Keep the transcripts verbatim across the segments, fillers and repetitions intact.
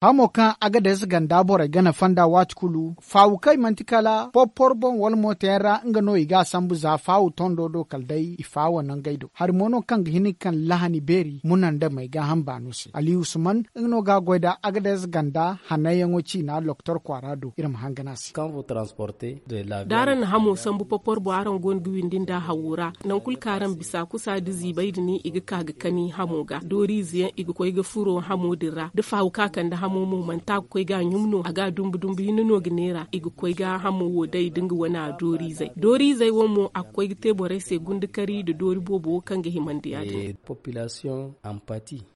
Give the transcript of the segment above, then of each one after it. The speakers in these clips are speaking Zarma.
Hamo kaŋ agadez ganda borey gana fonda waati kulu faawu kaŋ i manti kala porpor boŋ wala mooto yaŋ ra nga no i ga a sambu za faawu tondo do kala day i faawo nangey do hari mo no kaŋ ga hin ga kande lahani beeri muna nda may gaaham baano se ali usman nga no ga a goy nda agadez ganda hannanyaŋo ciina doktor kwaara do iri ma hangan a se. Da araŋ na hamo sambu porpor boŋ araŋ go no ga windi nda hawo ra nangu kulu kaŋ araŋ bisa kusa nda ziibay din i ga ka ga kani hamo ga dooriize yaŋ i ga koy ga furo hamo din ra da faawu kaŋ a kande hamo mo manti a ga koy ga a ɲum no a ga a dumbu dumbu hinne no ga neera i ga koy ga hamo wo day nda nga wane a dooriizey dooriizey wo mo a ga koy ga te borey se gundakari nda doori boobo wo kaŋ ga himandi ya- din.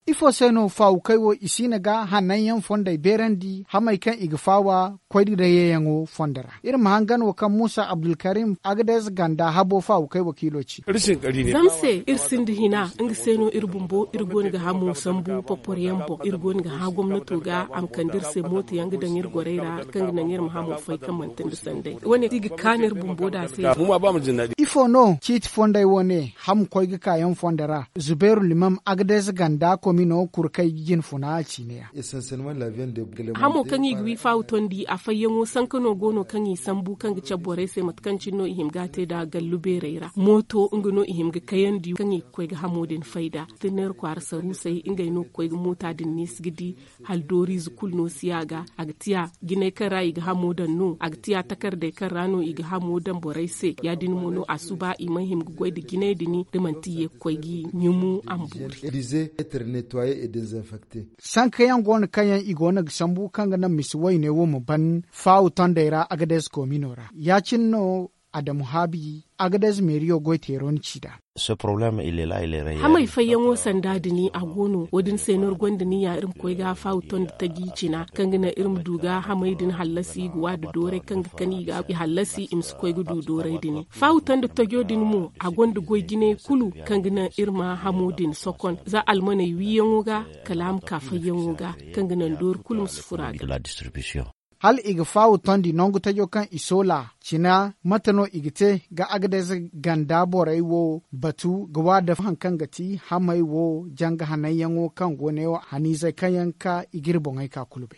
Ifo se no faawukey wo i siina ga hananyaŋ fondey beerandi hamey kaŋ i ga faawa koy nda dayyayaŋo fondo ra iri ma hangan wo kaŋ muusa abdulkarim agades ganda habo faawukey wakiilo ci. Zama se iri sinda hina nga se no iri bumbo iri go no ga hamo sambu porpor yaŋ boŋ iri go no ga hã gomnato ga a ma kande iri se mooto yaŋ ga daŋ iri gorey ra kaŋ ga naŋ iri ma hamo fay kaŋ manti nda sanday wane i ga kaanu iri bumbo nd'a se. Ifo no ciiti fondey wo ne hamo koy ga kaayaŋ fondo ra zubeeru limam agades ganda komino kurkay jine funa a ciine yaŋ. Hamo kaŋ i ga wi faawu tondi a fayyaŋo sanka no go no kaŋ i sambu kaŋ ga cabe borey se mate kaŋ cine no i hima ga a te nd'a gallu beerey ra mooto nga no i hima ga kayandi kaŋ i ga koy ga hamo din fay nd'a. Tinneeri kwaara saruusey ngey no ga koy ga moota din neesi ga di hala dooriize kulu no si a ga a ga tiya jinay kaŋ ra i ga hamo daŋ no a ga tiya takardey kaŋ ra no i ga hamo daŋ borey se ya- din mo no a suba i mana hima ga goy nda jinay din da manti i ye ga koy ga i ɲumu a ma boori. Sankayaŋ go no kaŋ yaŋ i go no ga sambu kaŋ ga naŋ misi wayne wo ma ban faawu tondey ra agades komino ra ya- cine no adamu haabi agades meeriyo goy teero ni ci nd'a. Hamey fayyaŋo sanda din a go no wo- din se no iri gonda niya iri ma koy ga faawu tondi taji cina kaŋ ga naŋ iri ma du ga hamey din hallasi i ga wa nda dooray kaŋ ga kani i ga i hallasi i ma si koy ga du dooray din. Faawu tondi tajo din mo a gonda goy jinay kulu kaŋ ga naŋ iri ma hamo din sokon za almaney wiiyaŋo ga kala a ma ka fayyaŋo ga kaŋ ga naŋ doori kulu ma si furo a ga. Hala i ga faawu tondi nangu tajo kaŋ i soola cina mate no i ga te ga agades ganda borey wo batu ga wa da haŋ kaŋ ga ti hamey wo janga hananyaŋo kaŋ go ne wo haniizey kaŋ yaŋ ga ka i ga iri boŋey ka kulu bay.